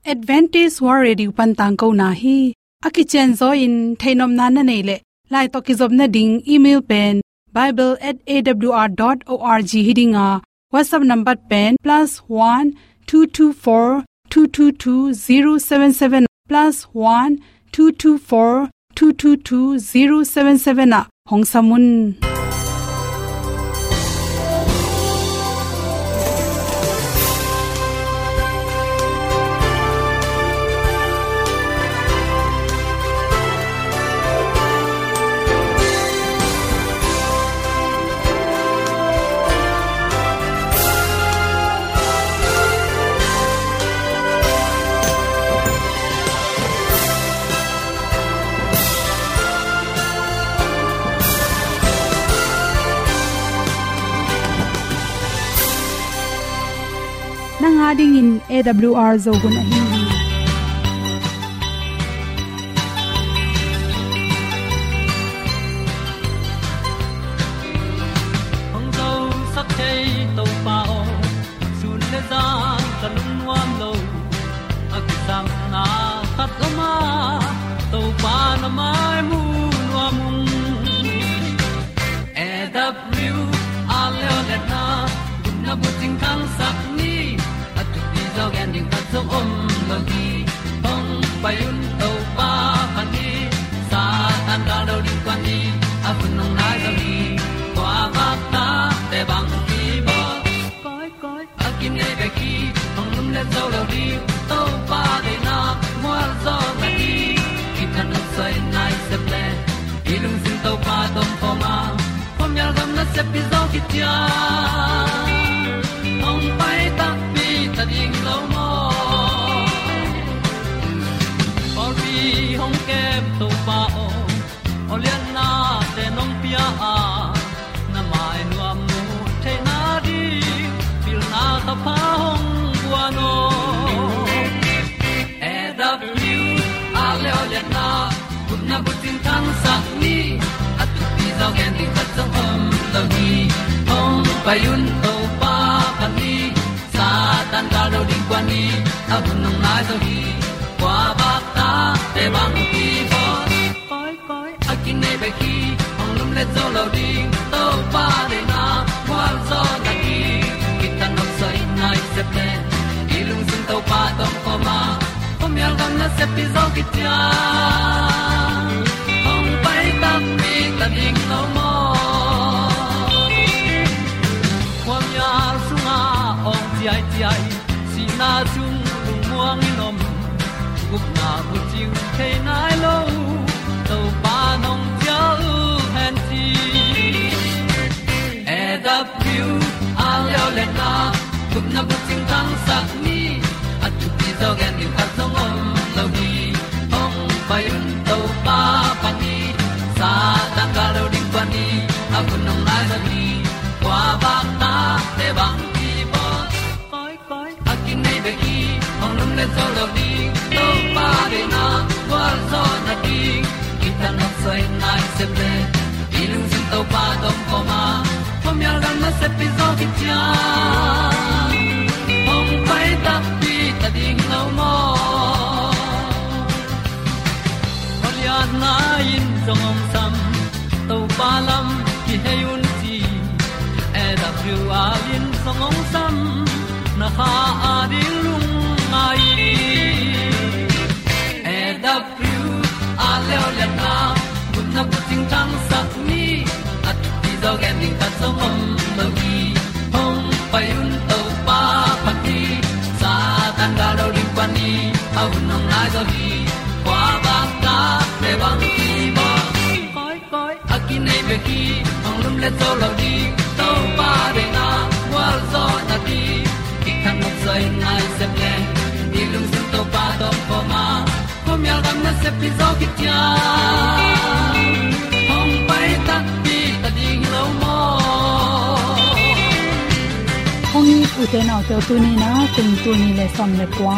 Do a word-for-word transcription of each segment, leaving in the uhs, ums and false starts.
Adventist World Radio pan tangkona hi. A kicianzaw in theihnopna na neih leh, lai tawh kizopna ding email pen bible at A W R dot org hi ding a, WhatsApp number pen plus one two two four two two two zero seven seven, plus one two two four two two two zero seven seven ah hong sam un. Nang a dingin A W R Zo hun ahi hi. Hong zosak thei Topa aw, sun le zan ka lungnuam lo. A kisapna khat om a, Topa na mai mu nuam ung. A W R Zo hun a, gupna bucing thangsak ni. A thupi zaw gen ding khat zong om lo hi. Hong pai un Topa phat ni. Satan gal do ding kuan ni. A hun hong nai zo hi. Kua vak ta te bang ki bawl. Koi, koi, a kinei bek hi, hong lumlet zo lo ding. Topa deihna mual zaw na hi. Kithanuam soi nai sep le, i lungsim Topa tawh om khawm a, khuamial gam nasep pi zaw khit ciang, hong pai takpi ta ding lo maw? Pawlpi hong kem Topa aw, aw lianna te nong pia a, na mai nuam mu theihna ding, pilna thapha hong guan aw. A W R Zo hun a, gupna bucing thangsak ni. A thupi zaw gen ding khat zong om lo hi. Hong pai un Topa phat ni. Satan gal do ding kuan ni. A hun hong nai zo hi. Kua vak ta te bang ki bawl. Koi, koi, a kinei bek hi, hong lumlet zo lo ding. Topa deihna mual zaw na hi. Kithanuam soi nai sep le, i lungsim Topa tawh om khawm a, khuamial gam nasep pi zaw khit ciang, hong pai takpi ta ding lo maw? Khuamial sungah awng ciaiciai, sihna sung lungmuang in om, gupna bucing thei nai lo, Topa nong cial hen ci. A W R Zo hun a, gupna bucing thangsak ni. A thupi zaw gen ding khat zong om lo hi. Hong pai un Topa phat ni. Satan gal do ding kuan ni. A hun hong nai zo hi. Kua vak ta te bang ki bawl. Koi, koi, a kinei bek hi, hong lumlet zo lo ding. Topa deihna gualzawhna ding, kithanuam soi nai sep le, i lungsim Topa tawh om khawm a, khuamial gam nasep pi zaw khit ciang, hong pai takpi ta ding lo maw? Khualiatna in zong hong sam, Topa lam kihei un ci. A W R in zong hong sam, na kha a ding lungngai. A W R Zo liatna, gupna bucing thangsak ni. A thupi zaw gen ding khat zong om lo hi. Hong pai un Topa phat ni. Satan gal do ding kuan ni. A hun hong nai zo hi. Kua bang ta te bang ki bawl. Koi, koi, a kinei bek hi, hong lumlet zo lo ding. Topa deihna gualzawhna ding, kithanuam soi nai sep le, i lungsim Topa tawh om khawm a, khuamial gam nasep pi zaw khit ciang, hong pai takpi ta ding lo maw? Hong it u te nau te, tuni-in a kum tul nih le sawm le kua,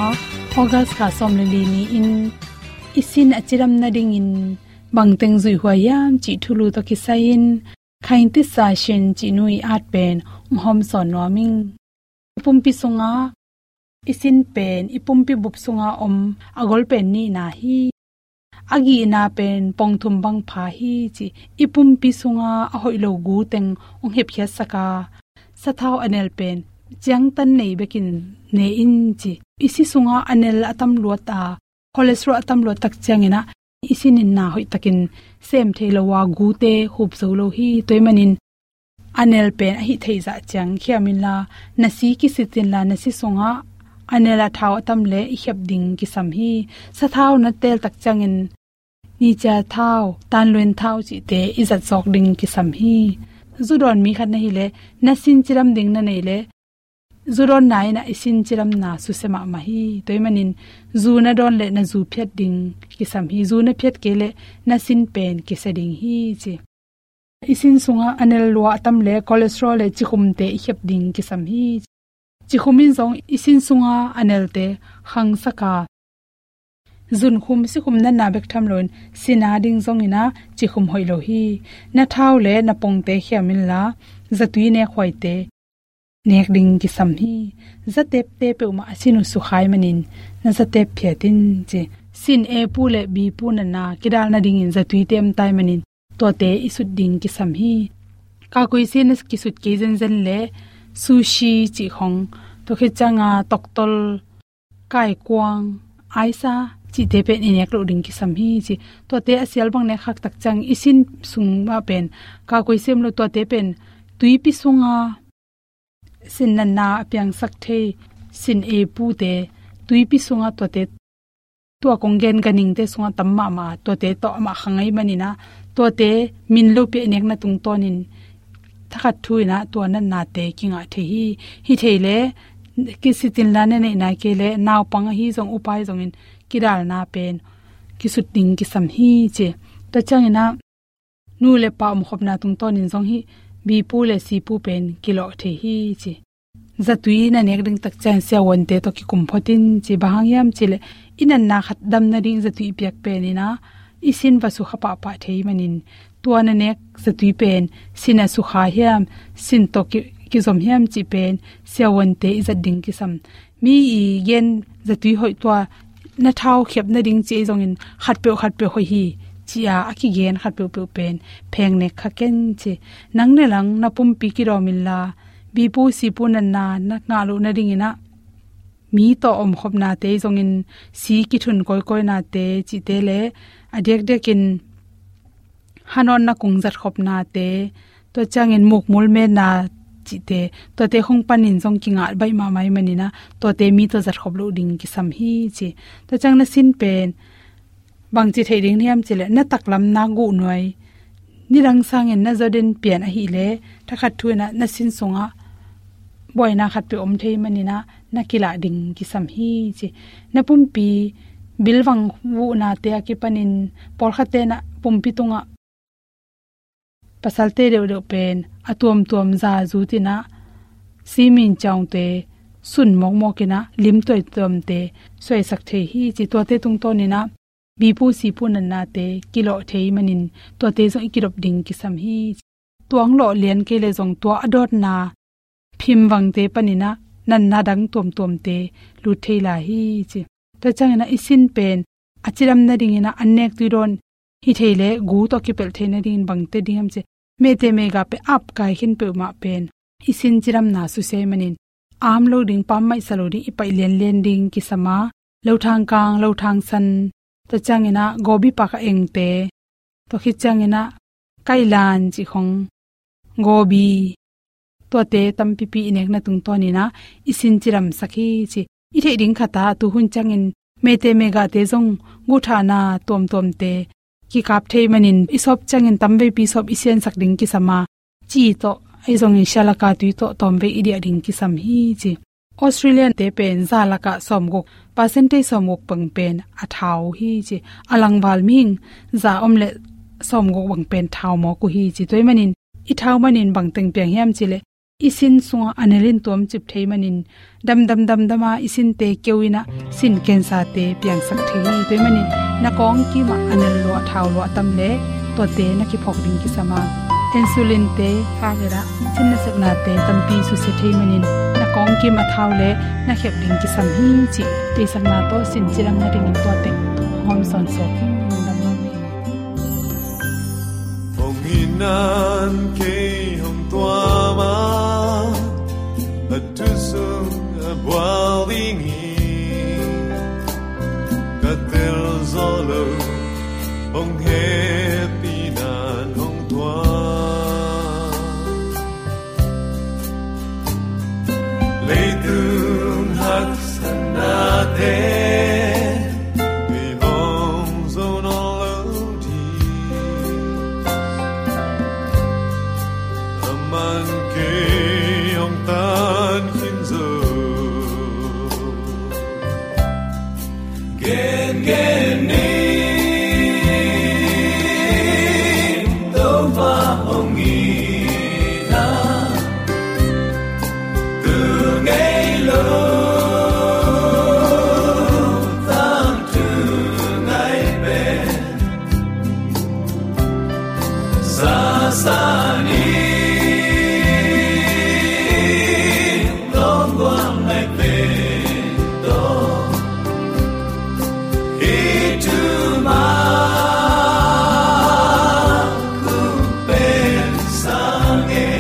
August kha sawm le li ni-in i sin a cidam nadingin bangteng zuih huai hiam cih thulu tawh kisai-in, Khaing Tisa Shin cih nu i at pen hong hawmsawn nuam ing. Pumpi sungah i sin pen i pumpi bup sunga om a gol pen nihna hi. A gihna pen pongthum bang pha hi ci. I pumpi sunga a hoih lo gu teng hong hepkhiatsak a, sathau a nel pen ciangtan nei bekin ne in ci. I si sunga a nel a tam luat a, cholesterol a tam luat tak ciangin ah i sin in na hoih takin sem thei lo a, gute hup zo lo hi. Tua ahih manin a nel pen a hih theih zah ciang khiam inla, na si kisit inla, na si sungah a nel a thau a tam le i khep ding kisam hi. Sathau na tel tak ciangin nicia thau, tanluen thau cihte i zat zawk ding kisam hi. Zu dawn mi khat na hi le, na sin cidam ding na nei le, zu dawnna in ah i sin cidamna susia mahmah hi. Tua ahih manin zu na dawn le na zu phiat ding kisam hi. Zu na phiat kei le na sin pen kisia ding hi ci. I sin sunga a nel lua a tam le cholesterol le cikhumte i khep ding kisam hi. Cikhum in zong i sin sunga a nelte khangsak a, zunkhum sikhum natna bek tham loin sin a ding zongin ah cikhum hoih lo hi. Na thau le na pongte khiam inla, zatui nekhuaite nek ding kisam hi. Zatepte peuhmah a sin uh sukha ahih manin na zatep phiat in ci. Sin A pu le B pu natna kidal nadingin zatuite om ta ahih manin tuate i sut ding kisam hi. Kakoi sia na kisut kei zenzen le sushi cih khong, tua khit cianga toktol, kaikuang, aisa cihte pen i nek loh ding kisam hi ci. Tuate a sial bang nek khak tak ciang i sin sungah pen kakoi sia om lo, tuate pen tuipi sunga sin natna a piangsak thei, sin A pute, tuipi sunga tuate, tua kong gen ganhingte sunga tam mahmah, tuate tawh amah khang ahih manin ah, tuate min lopi a i nekna tungtawnin thakhat thu in ah tua natnate kingah thei hi. Hi thei le kisit inla, na neih nai kei le, naupang ahi zong upa ahi zongin kidalna pen kisut ding kisam hi ci. Tua ciangin ah nu le pa omkhopna tungtawnin zong hih B pu le C pu pen kilawh thei hi ci. Zatui na nek ding tak ciang siavuante tawh kikum phot in ci. Bang hang hiam cih leh i natna khat dam nading zatui piak pen in ah i sin va sukha pahpah thei manin, tua na nek zatui pen sin a sukha hiam, sin tawh ki, kizom hiam cih pen siavuante i zat ding kisam. Mi i gen zatui hoih, tua na thau khep nading ci ahi zongin khatpeuh khatpeuh hoih hi ci-a a kigen khatpeuhpeuh pen pheng nek kha ken ci. Nang ne lang na pumpi kidawm inla, B pu C pu natna na ngah loh nadingin ah mi tawh omkhopnate ahi zongin si kithun kawikawinate cihte le a diakdiakin hanawn na kung zatkhopnate, tua ciangin mukmul metna cihte, tuate khong panin zong kingah baih mahmah ahih manin ah, tuate mi tawh zatkhop loh ding kisam hi ci. Tua ciang na sin pen bangci theih ding hiam cih leh, na taklam na guh nuai, nidang sangin na zaw den pian ahih leh, thakhat thu in ah na sin sungah buaina khatpeuh om thei manin ah na kilah ding kisam hi ci. Na pumpi bilvang vuhnate a kipanin pawlkhatte in ah pumpi tungah pasalte deuhdeuh pen a tuamtuam za zut in ah, simin ciangte sun mawkmawk in ah, lim tuamtuamte suaisak thei hi ci. Tuate tungtawn in ah B pu C pu natnate kilawh thei manin tuate zong i kidop ding kisam hi. Tua hong lawh lian kei leh zong tua a dawtna phimvangte panin ah natna dang tuamtuamte lut thei lai hi ci. Tua ciangin ah i sin pen a cidam nadingin ah an nek tui dawn hi thei leh gu tawh kipelh thei nadingin bangte ding hiam cih leh, mehte mehga pen ap kai khin peuhmah pen i sin cidamna susia ahih manin, am lo ding, pam maihsa lo ding i paih lianlian ding kisam a, lothang kang, lothang san, tua ciangin ah gobi pak a engte, tua khit ciangin ah kailan cih khong, gobi, tuate tampipi i nekna tungtawn in ah i sin cidamsak hi ci. I theih ding khat ah tuhun ciangin mehte mehgate zong guhthahna tuamtuamte kikap thei manin, i sawp ciangin tamveipi sawp i siansak ding kisam a, ci tawh ahi zongin sialaka tui tawh tawmvei i diah ding kisam hi ci. Australia-te pen za lakah sawmguk, percentage sawmguk bang pen a thau uh hi ci. A langval mihing za om leh sawmguk bang pen thau mawk uh hi ci. Tua ahih manin i thau manin bangteng piang hiam cih leh, i sin sungah a nel in tuamcip thei manin, damdam damdam a i sinte keu in ah sin cancer-te piangsak thei hi. Tua ahih manin na kawng kimah a nel lua, thau lua tam leh tuate na kiphawk ding kisam a, insulin-te khak in ah thin nasepnate tampi susia thei manin, na kawngkim a thau le na khep ding kisam hi cih theihsakna tawh sin cidam nadingin tua teng hong hawmsawn suak hi. Lungdam mahmah. Hong it nan kei hong tuam a, a thu sung a bual ding hi. Ka tel zo lo, hong hehpih nan hong tuam. Leitung haksatnate, kei hong zo nawn lo ding. Aman kei hong tan khin zo. Gen, gen ni, Topa hong it na, tu ngei lo, tangthu ngai pen. Sasa ni, longguang ngai pen to. Itu ma ku pen sange.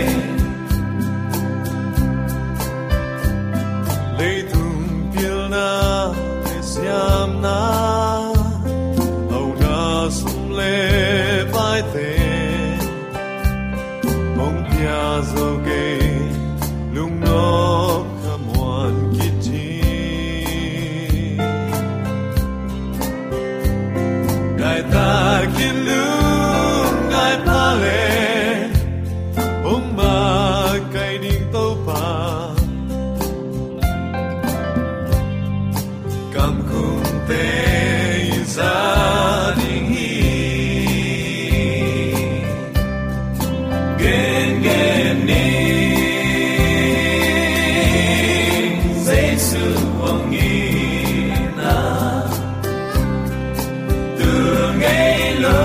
Leitung pilna le siamna, auna sum le paite, hong pia zo kei, lungnop ka muan kit hi. Ngai takin lungngai pha le, hong makaih ding Topa. Kamkungte i za ding hi. Gen, gen ni, Jesu hong it na, tu ngei lo,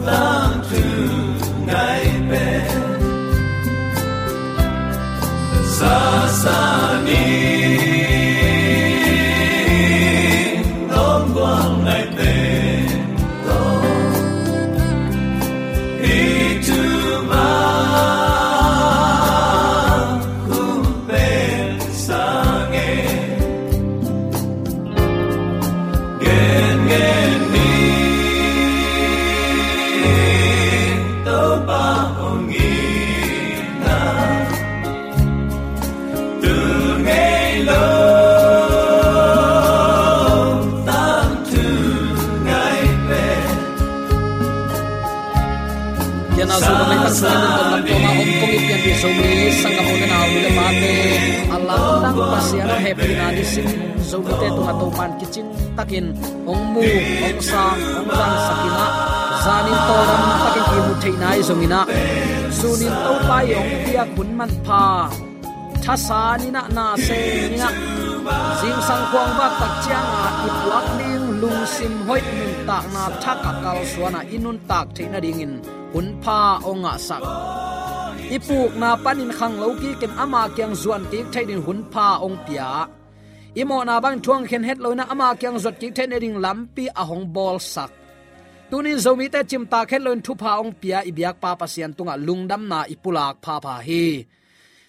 tangthu ngai pen. Sasa ni, longguang ngai pen to. Itu ma ku pen sange. Gen, gen ni, Topa hong it na, tu ngei lo, tangthu ngai pen. Kiana Zomi Leitang sungah lungdam lam tawma om kong i pianpih Zomi sanggam u le nau, nu le pate, a lamdang Pasian a hehpihna nisim Zomite tungah Topan kicing takin hong mu, hong sang, hong zangsak in ah, zanin tawldam takin ihmu theihna ahi zongin ah, sunin Topa i hong piak hun manpha, thasan in ah, na seng in ah, zingsang khuang vak tak ciangin i puak ding lungsim hoih nuntakna thak a kalsuan ah i nuntak theih nadingin hun pha hong ngahsak. I pukna panin khanglo kikin ama kiang zuan kik theih dingin hun pha hong pia. I mawhna bangin thu hong khen het lo in ah ama kiang zuat kik theih nading lampi a hong bawlsak. Tunin Zomite cimtak het loin thupha hong pia i biakpa Pasian tungah lungdamna i pulak phapha hi.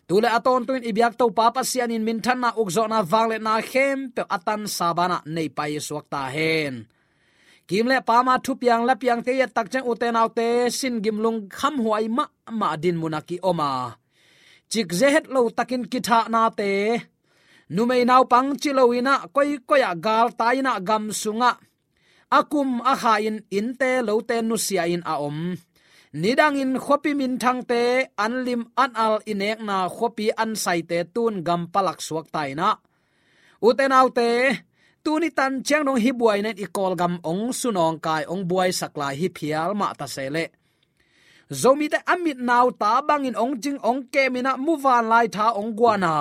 Tu le a tawntungin i biak Topa Pasian in minthanna, ukzawhna, vangliatna khempeuh a tansa banah nei pai suak ta hen. Kim le pama, thupiang lapiangte i et tak ciang, ute naute, sin gim lungkham huai mahmah dinmun a ki-om a, cikzia het lo takin kithahnate, numei naupang ci lo in ah, koikoi ah galtai in ah, gam sungah a kum a kha in innte lote nusia in a om. Nidangin khuapi minthangte an lim an al i nekna khuapi an saite tun gam palak suak ta in ah, ute naute, tuni tan ciang dong hih buaina in i Kawlgam hong sunawngkai, hong buaisak lai hi phial mah ta se leh, Zomite a mit nauta bangin hong cing, hong kem in ah, muvanlai tha hong guan a,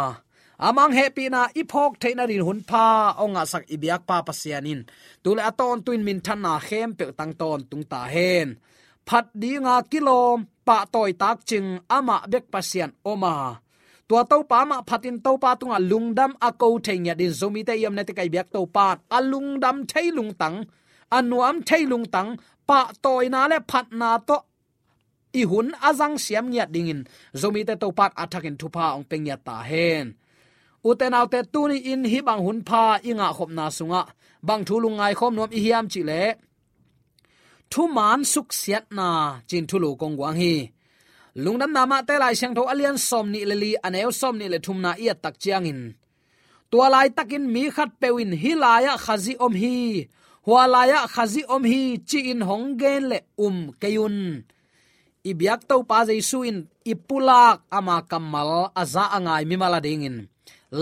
a mang hehpihna i phawk theih nadingin hun pha hong ngahsak i biakpa Pasian in tu le a tawntungin minthanna khempeuh tang tawntung ta hen. phat dinga kilawm, pahtawi takcing amah bek Pasian om a, tua Topa amah phatin Topa tungah lungdam a ko thei ngiat dingin Zomite i omna teh ka i biak Topa in a lungdam thei lungtang, a nuam thei lungtang, pahtawina le phatna tawh i hun a zang siam ngiat dingin Zomite Topa in a thakin thupha hong pia ngiat ta hen. Ute naute, tuni-in hih bang hun pha i ngahkhopna sungah bang thu lungngai khawm nuam i hiam cih leh, thuman suksiatna ci-in thulu kong guang hi. Lungdamna Mate Lai Siangtho a lian sawmnih le li, a neu sawmnih le thumna i et tak ciangin, tua laitakin mi khatpeuh in, "Hih lai-ah Khazih om hi, hua lai-ah Khazih om hi," ci-in hong gen leh um kei un. I biak Topa Jesu in i pulak ama kammal a za a ngai mimal a dingin,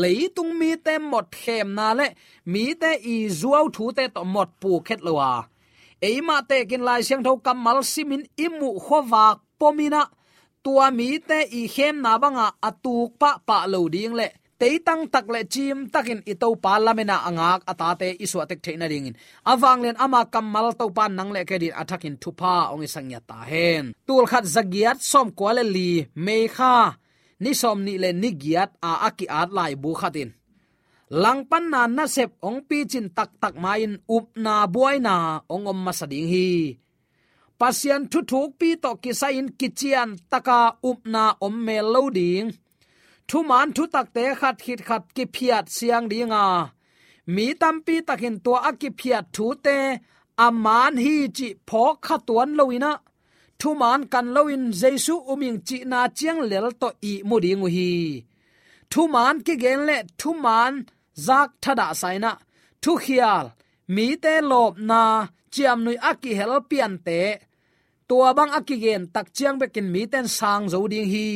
leitung mite mawk khemna le mite i zuau thute tawh mawk puk het lo a, eimah tekin Lai Siangtho kammal simin i muh khuavak pom in ah, tua mite i khemna banga a tuk pahpah lo ding le teitang tak le cim takin i Topa lamena a ngak a tate i suahtek theih nadingin, a vanglian ama kammal Topa nang le kei adingin a thakin thupha hong hisak ngiat ta hen. Tulkhat zagiat sawmkua le li, May kha ni sawmnih le ni giat a a ki-at laibu khat in, langpanna nasep hong picin taktak ma-in upna buaina hong om masa ding hi. Pasian thuthukpi tawh kisai-in kician taka upna om mel lo ding. Thuman thutakte khat khit khat kiphiat siang ding a, mi tampi takin tua a kiphiat thute a man hi cih phawkkha tuan lo in ah, thuman kan loin Jesu um ing cihna ciang lel tawh ihmu ding uh hi. Thuman kigen le thuman zak thadahsa in ah, thukhial, mite lawpna, ciamnuih a kihel piante, tua bang a kigen tak ciang bekin mite in sang zo ding hi,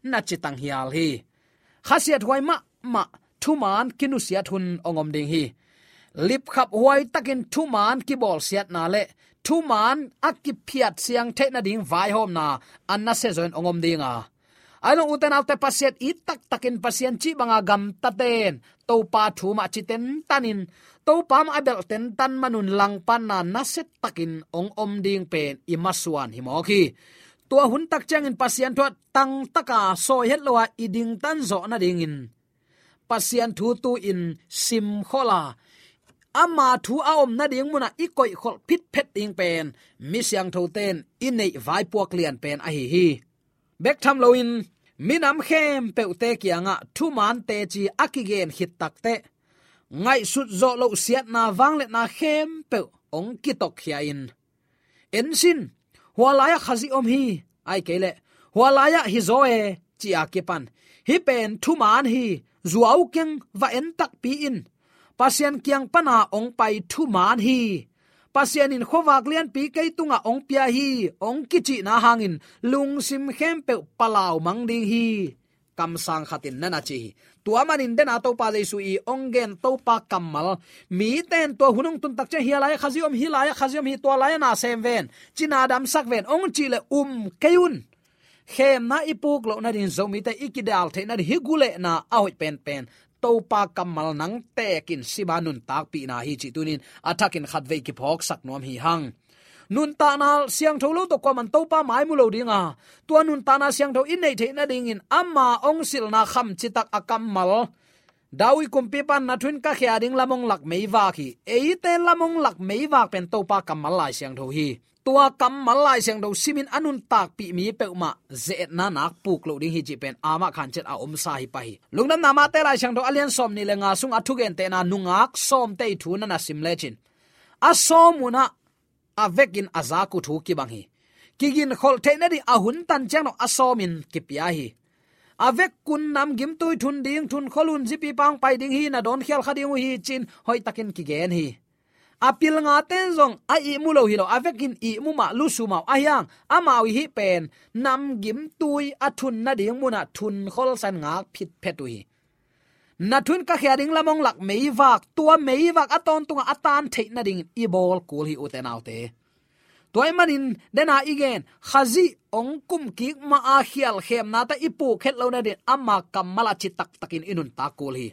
na ci tanghial hi. Khasiathuai mahmah, thuman kinusiat hun hong om ding hi. Lipkhaphuai takin thuman kibawlsiatna le thuman a kiphiat siang theih nading vaihawmna a nasia zawin hong om ding a, ahi zong ute naute, Pasian it taktakin Pasian cih banga gamtaten Topa thu mah ci tentan in, Topa mah a belh tentan man un langpanna nasia takin hong om ding pen i masuan hi mawk hi. Tua hun tak ciangin Pasian thu ah tangtaka sawi het lo a i dingtan zawh nadingin, Pasian thu tu-in simkhol a, ama thu a om nading munah i koihkholh phitphet ding pen mi siangthote in i neih vaipuak lian pen ahi hi. Bek tham loin, minam khempeuhte kiangah thuman teci a kigen khit takteh, ngaihsut zawh loh siatna vangliatna khempeuh hong kitokkhia in, "En sin, hua lai-ah Khazih om hi," ahih kei leh, "Hua lai-ah hi zaw e," ci-a kipan, "Hih pen thuman hi, zuau keng, va en takpi in. Pasian kiang pana hong pai thuman hi. Pasian in khuavak lianpi kei tungah hong pia hi," hong kicihna hangin lungsim khempeuh palau mang ding hi. Kamsang khatin na na ci hi. Tua manin dena Topa Jesu i hong gen Topa kammal, mite in tua hun hong tun tak ciang, "Hih lai-ah Khazih om, hih lai-ah Khazih om hi, tua lai-ah na sem ven, ci na damsak ven," hong cih leh um kei un. Khemna i puk loh nading, Zomite i kidal theih nading, hih gulehna a hoih penpen Topa kammal nang tekin sima nuntakpihna hi cih tunin a thakin khatvei kiphawksak nuam hi hang. Nuntakna siangtho lo tawh kuaman Topa mai mu lo ding a, tua nuntakna siangtho i neih theih nadingin ama hong silna kham citak a kammal, David kumpipa in, "Na thu in ka khia ding lam hong lak meivak hi." Eite lam hong lak meivak pen Topa kammal Lai Siangtho hi. Tua kammal Lai Siangtho simin a nuntakpih mi peuhmah ze-etna nak puk loh ding hi cih pen amah khan ciat a omsa hi pah hi. Lungdamna Mate Lai Siangtho a lian sawmnih le nga sung a thugentehna nungak sawmte i thu na na sim lecin, a sawm un ah a vekin a zak uh thu kibang hi. Kiginkholh theih nading a hun tan ciang dong a sawmin kipia hi. A vek un namgimtui thun ding, thun khol un zipipa hong pai ding hi, na dawnkhial kha ding uh hi, ci-in hoihtakin kigen hi. A pilngate in zong a ihmu lo hi lo, a vekin ihmu mah, lusu mah uh, ahi hang amau i hih pen namgimtui a thun nading munah thun kholsa-in ngak phitphet uh hi. "Na thu in ka khia ding lam hong lak meivak," tua meivak a tawntungah a tan theih nadingin i bawl kul hi, ute naute. Tua ahih manin dena i gen, Khazih hong kumkik ma-a khial khemnate i puk het loh nading ama kammal a ci taktakin i nuntak kul hi.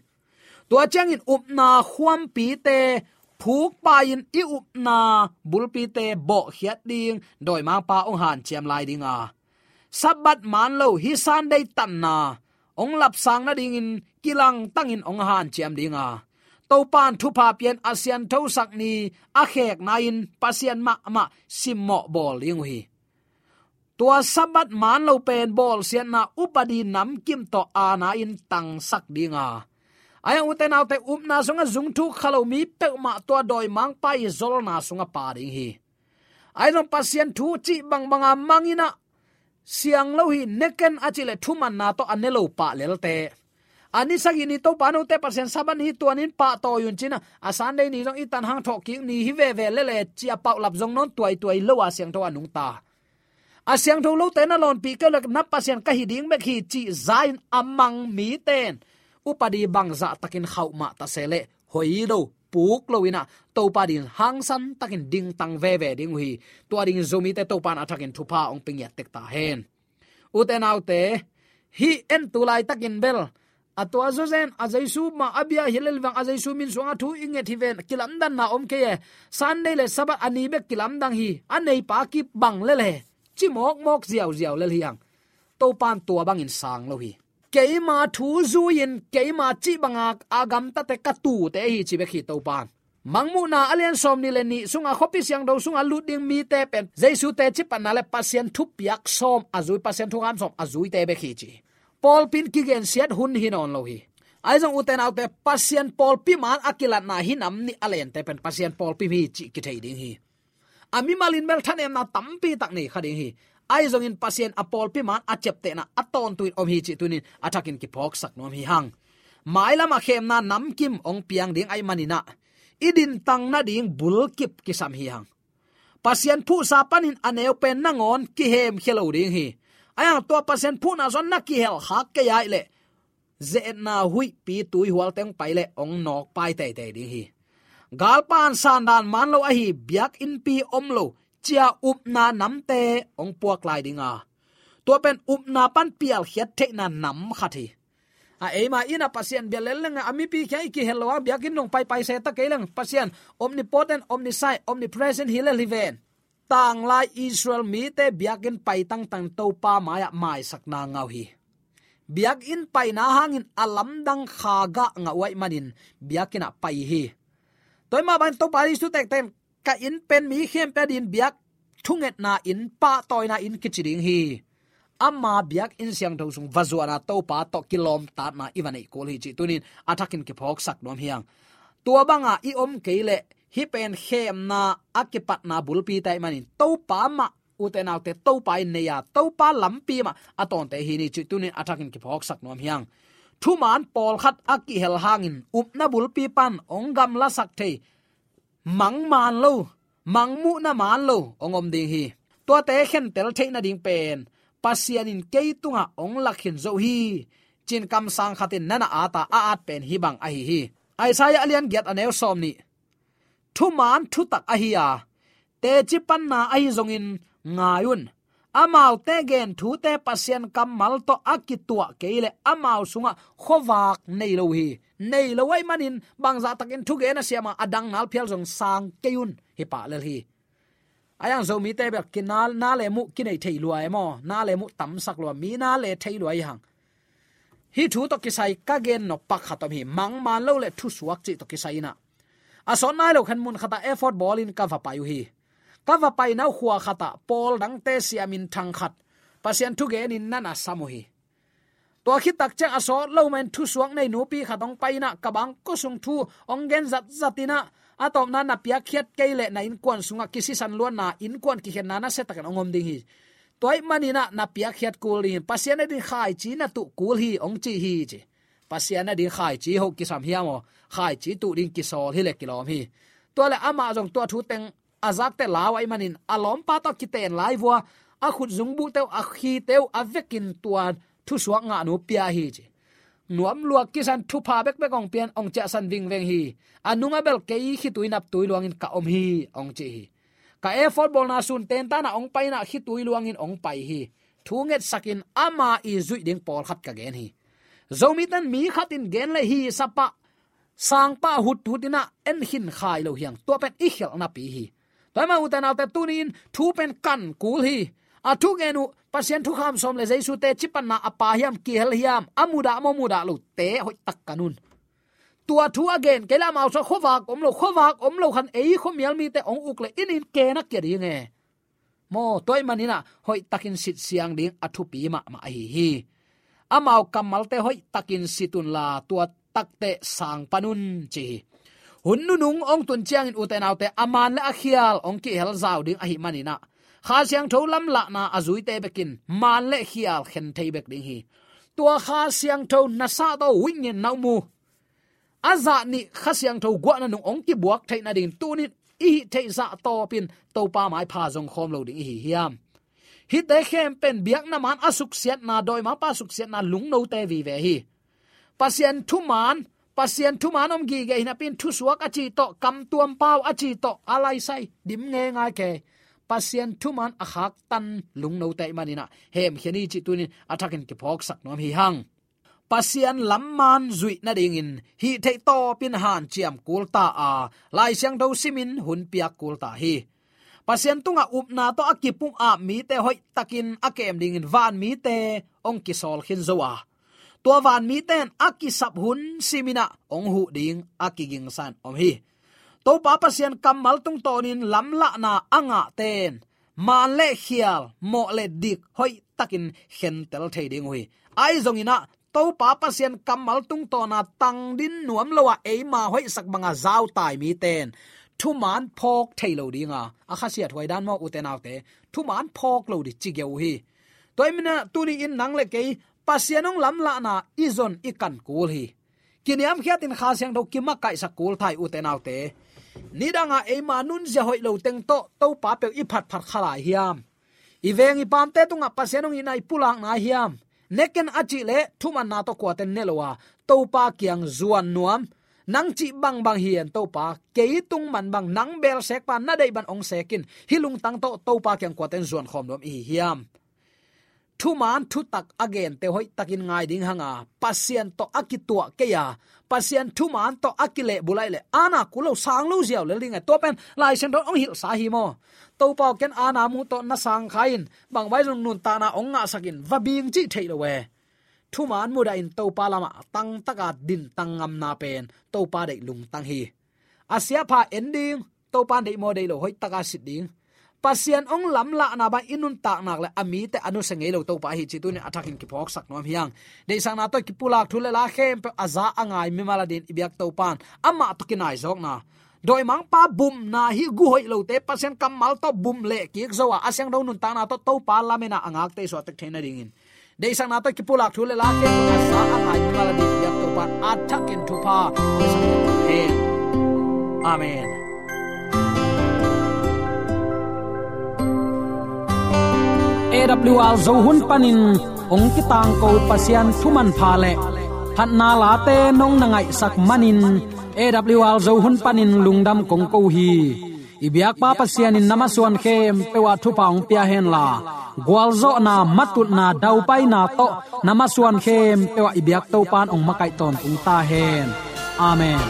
Tua ciangin upna khuampite phukpai-in i upna bulpite bawhkhiat ding dawimangpa hong hanciam lai ding a, Sabbath man lo hih Sunday tanna hong lapsang nadingin kilangtangin hong hanciam ding a, Topa'n thupha pia-in a sianthosak ni a khekna-in Pasian mahmah simmawh bawl ding uh hi. Tua Sabbath man lo pen bawlsiatna upadi namkim tawh aana-in tangsak ding a, ahi zongin ute naute, upna sungah zungthuk kha lo mi peuhmah tua dawimangpa i zolna sungah pha ding hi. Ahi zong Pasian thu cih bangbanga mang in ah siang lo hi, ne ken a cih leh thumanna tawh a ne lo pah lelte. A ni sagih ni Topa note Pasian Sabbath ni hi, tua ni-in pahtawi un ci-in ah, a Sunday ni zong i tan hang thawhkik ni hi veve lele ci-a paulap zong nawn tuaituai lo a siangtho a nungta. A siangtho lote na lawnpih kei uh leh na Pasian ka hi ding bek hi cih za-in a mang mite in upadi bangzah takin khauh mah ta se leh hoih lo, puk lo-in ah Topa dingin hangsan takin dingtang veve ding uh hi. Tua dingin Zomite Topa in a thakin thupha hong pia ngiat tek ta hen. Ute naute, hih en tu laitakin bel a tua zawzen a Jesu mah a bia hi lel vang, a Jesu min suang a thu i nget hi ven, kilamdanna om kei e. Sunday le Sabbath a ni bek kilamdang hi. A neipa kibang lel e, ci mawkmawk ziauziau lel hi hang. Topa in tua bangin sang lo hi. Keima thu zui-in keima cih banga a gamtate ka tuute hi ci bek hi Topa in. Mangmuhna a lian sawmnih le nih sungah khuapi siangtho sungah lut ding mite pen Jesu teci patna le Pasian thupiak sawm a zui, Pasian thukham sawm a zuite bek hi ci. Pawlpi in kigensiat hun hi nawn lo hi. Ahi zong ute naute, Pasian pawlpi maan a kilatna hih nam nih a lente pen Pasian pawlpi hi cih kithei ding hi. A mimal in bel thanemna tampi tak nei kha ding hi. Ahi zongin Pasian a pawlpi maan a ciaptehna a tawntung in om hi cih tuni-in a thakin kiphawksak nuam hi hang. Mailam a khemna namkim hong piang ding ahih manin ah i dintang nading bulkip kisam hi hang. Pasian phuhsa panin a neu pen nangawn kihemkhia lo ding hi. Ahi hang tua Pasian phuhna sungah na kihel khak kei ahih leh ze-etna huihpi tuihualte hong pai leh hong nawkpai teitei ding hi. Galpa in sandan man lo ahi, biakinnpi om lo, ci-a upna namte hong puak lai ding a, tua pen upna pan pialkhiat theihna nam khat hi. A eima inn ah Pasian bia lel leng a mipi kiang i kihel lo a, biakinn dong paipai se ta kei leng, Pasian omnipotent, omniscient, omnipresent hi lel hi ven. Tanglai Israel mite biakinn pai tangtang Topa mai-ah maisakna ngah uh hi. Biakinn paina hangin a lamdang kha gah ngah uh ahih manin biakinn ah pai hi. Tua mah bangin Topa Jesu tektek in ka inn pen mi khempeuh adingin biak thungetna inn, pahtawina inn kici ding hi. Ama biakinn siangtho sung va zuan a, Topa tawh kilawmtatna i va neih kul hi cih tuni-in a thakin kiphawksak nuam hi hang. Tua banga i om kei leh hih pen khemna a kipatna bulpite ahih manin Topa mah, ute naute, Topa in nei a, Topa lampi mah a tawnte hi ni cih tuni-in a thakin kiphawksak nuam hi hang. Thumaan pawlkhat a kihel hangin upna bulpi pan hong gamlasak thei, mang maan lo, mangmuhna maan lo hong om ding hi. Tuate khentel theih nading pen Pasian in kei tungah hong lak khin zo hi, ci-in kamsang khat in na na at a, a at pen hih bang ahi hi. Isaiah a lian giat a neu sawmnih. Thumaan thutak ahi a, teci panna ahi zongin ngai un. Amaute gen thute Pasian kammal tawh a kituah kei leh amau sungah khuavak nei lo hi. Nei lo ahih manin bangzah takin thugen a siam a, a dang ngal phial zong sang kei un, hi pah lel hi. Ahi hang Zomite bel kinal, na le muh kinei thei lua e maw, na le muh tamsak lua, mi na le thei lua hi hang. Hih thu tawh kisai ka gen nop pakhat om hi. Mang maan lo le thusuak cih tawh kisai in ah, a sawt nai lo khan mun khatah effort bawlin ka va pai uh hi. Ka va paina uh khua khatah pawl dangte siamin thang khat Pasian thugenin na na sam uh hi. Tua khit tak ciang a sawt lo mahin thusuak nei nupi khat hong pai in ah, ka bangkua sung thu hong gen zatzat in ah, a tawpna na piakkhiat kei leh na innkuan sungah kisisan luatna, innkuan kikhenna nasia takin hong om ding hi. Tua ahih manin ah na piakkhiat kul ding hi. Pasian ading khaici na tuh kul hi hong ci hi ci. Pasian ading khaici hoh kisam hiam aw? Khaici tuh ding kisawl hi leh kilawm hi. Tua leh amah zong tua thu teng a zakte lau ahih manin a lawmpa tawh kiten lai vua, a khut zungbuhte uh, a khite uh a vekin tua thusuak ngahnu pia hi ci. Nuam lua kisan thupha bekbek hong pian, hong ciahsan vingveng hi. A nungah bel kei khitui naptui luangin ka om hi hong ci hi. Ka effort bawlna sun tentan ah hong pai in ah khitui luangin hong pai hi. Thu ngetsakin ama i zuih ding pawlkhat ka gen hi. Zomite in mi khat in gen leh hi sap ah, sangpa huthut in ah en khin khai lo hi hang. Tua pen i khialhna pi hi. Tua ahih manin ute naute, tuni-in thu pen kan kul hi. A thu gen uh, Pasian thukham sawm le Jesu te cipatna a pha hiam, kihel hiam, a mudah maw, mudah lote hoihtak kan un. Tua thu a gen kei leh amau sungah khuavak om lo, khuavak om lo khan ei khuamial mite hong uk leh in in ke na kia ding e. Maw, tua ahih manin ah hoihtakin sit siang ding a thupi mahmah ahi hi. Amau kammalte hoihtakin sit unla, tua takteh sang pan un, ci hi. Hun nunung hong tun ciangin ute naute, a maan le a khial hong kihel zau ding ahih manin ah, Kha Siangtho lamlahna a zuite bekin maan le khial khen thei bek ding hi. Tua Kha Siangtho nasat aw, wingin na um uh. A zah nih Kha Siangtho guahna nung hong kibuak theih nading tuni-in i hih theih zah tawpin Topa maipha zong khawm lo ding i hi hiam? Hihte khempeuh biakna maan a suksiatna, dawimangpa suksiatna lungnote vive hi. Pasian thumaan, Pasian thumaan om gige hi napi-in thusuak a ci tawh, kamtuam pau a ci tawh, a laisai dim ngeingai kei. Pasian thumaan a khaktan lungnote ahih manin ah hemkhia ni cih tuni-in a thakin kiphawksak nuam hi hang. Pasian lam maan zuih nadingin hih theih tawpin hanciam kul ta a, Lai Siangtho simin hun piak kul ta hi. Pasian tungah upna tawh a kipumap mite hoihtakin a kem dingin van mite hong kisawl khin zo a, tua van mite in a kisap hun simin ah hong huh ding a kigingsa-in om hi. Topa Pasian kammal tungtawnin lamlahna a ngahte in maan le khial, mawh le dik hoihtakin khentel thei ding uh hi. Ahi zongin ah Topa Pasian kammal tungtawna tangdin nuam lo a eima hoihsak banga zautai mite in thumaan phawk thei lo ding a, a khasiathuai dan maw ute naute, thumaan phawk lo ding ci geu uh hi. Tua ahih manin ah tuni-in nang le kei Pasian hong lamlahna i zon i kan kul hi. Kiniamkhiatin Kha Siangtho kimakaihsak kul ta hi ute naute. Nidanga eima nunzia hoih lo teng tawh Topa peuh i phatphat kha lai hiam? I veng i paamte tungah Pasian hong itna i pulak nai hiam? Ne ken a cih leh thumanna tawh kuate in ne lo a, Topa kiang zuan nuam. Nang cih bangbang hi ing Topa, kei tung man bang, nang beel sekpa, na deih bang hong sek in, hih lungtang tawh Topa kiang kuate in zuan khawm nuam i hi hiam? Thumaan thutak a gente hoihtakin ngai ding hang a, Pasian tawh a kituah kei a, Pasian thumaan tawh a kilehbulh ahih leh, aana kul lo, sang lo ziau lel ding e. Tua pen Lai Siangtho in hong hilhsa hi maw. Topa aw, ken aana mu tawh na sang kha in, bangmah zong nuntakna hong ngahsak in, va bing cih theih lo e. Thumaan mudahin Topa lamah tangtaka dintang ngamna pen Topa deih lungtang hi. A siapha en ding, Topa in deih maw deih lo, hoihtaka sit ding. Pasian hong lamlahna bang i nuntak nak leh a mite a nusia ngei lo Topa ahi cih tuni-in a thakin kiphawksak nuam hi hang. Deihsakna tawh kipulak thu le la khempeuh a za a ngai mimal adingin i biak Topa in amah tawh kinaizawkna, dawimangpa bumna, hih gu hoih lote Pasian kammal tawh bum leh kik zo a, a siangtho nuntakna tawh Topa lametna a ngakte i suaktek theih nadingin, deihsakna tawh kipulak thu le la khempeuh a za a ngai mimal adingin i biak Topa in a thakin thupha hong pia sak hen. Amen. A W R Zo hun panin hong kitangko Pasian thu manpha le phatna late nong na ngaihsak manin A W R Zo hun panin lungdam kong ko hi. I biakpa Pasian in na masuan khempeuh ah thupha hong pia henla, gualzawhna, matutna, daupaina tawh na masuan khempeuh ah i biak Topa in hong makaih tawntung ta hen. Amen.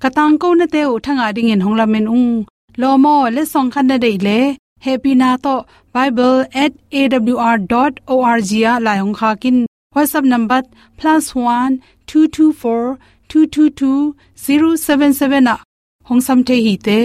Ka tangko nate uh thangah dingin hong lamen ung. Lawm aw, letsong khat na deih leh, hehpihna tawh bible at A W R dot O R G ah lai hong khak in. WhatsApp number plus one two two four two two two zero seven seven ah hong sam thei hi te.